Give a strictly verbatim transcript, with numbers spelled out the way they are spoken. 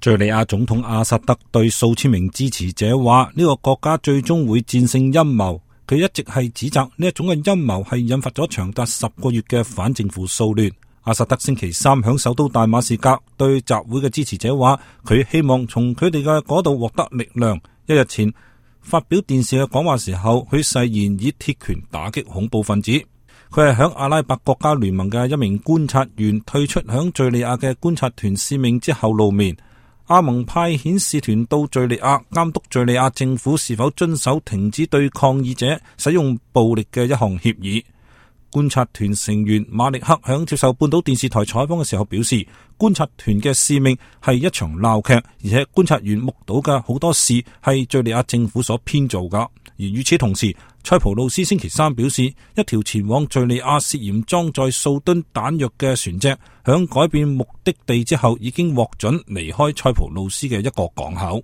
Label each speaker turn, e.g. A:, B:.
A: 敘利亞總統阿薩德對數千名支持者話：呢個國家最終會戰勝陰謀。佢一直係指責呢一種嘅陰謀係引發咗長達十個月嘅反政府騷亂。阿薩德星期三響首都大馬士革對集會嘅支持者話：佢希望從佢哋嘅嗰度獲得力量。一日前發表電視嘅講話時候，佢誓言以鐵拳打擊恐怖分子。佢係響阿拉伯國家聯盟嘅一名觀察員退出響敘利亞嘅觀察團使命之後露面。阿盟派遣使團到敘利亞監督敘利亞政府是否遵守停止對抗議者使用暴力嘅一項協議。觀察團成員馬力克響接受半島電視台採訪嘅時候表示，觀察團嘅使命係一場鬧劇，而且觀察員目睹嘅好多事係敘利亞政府所編造噶。而與此同時，塞浦路斯星期三表示，一條前往敘利亞涉嫌裝載數噸彈藥嘅船隻響改變目的地之後已經獲准離開塞浦路斯嘅一個港口。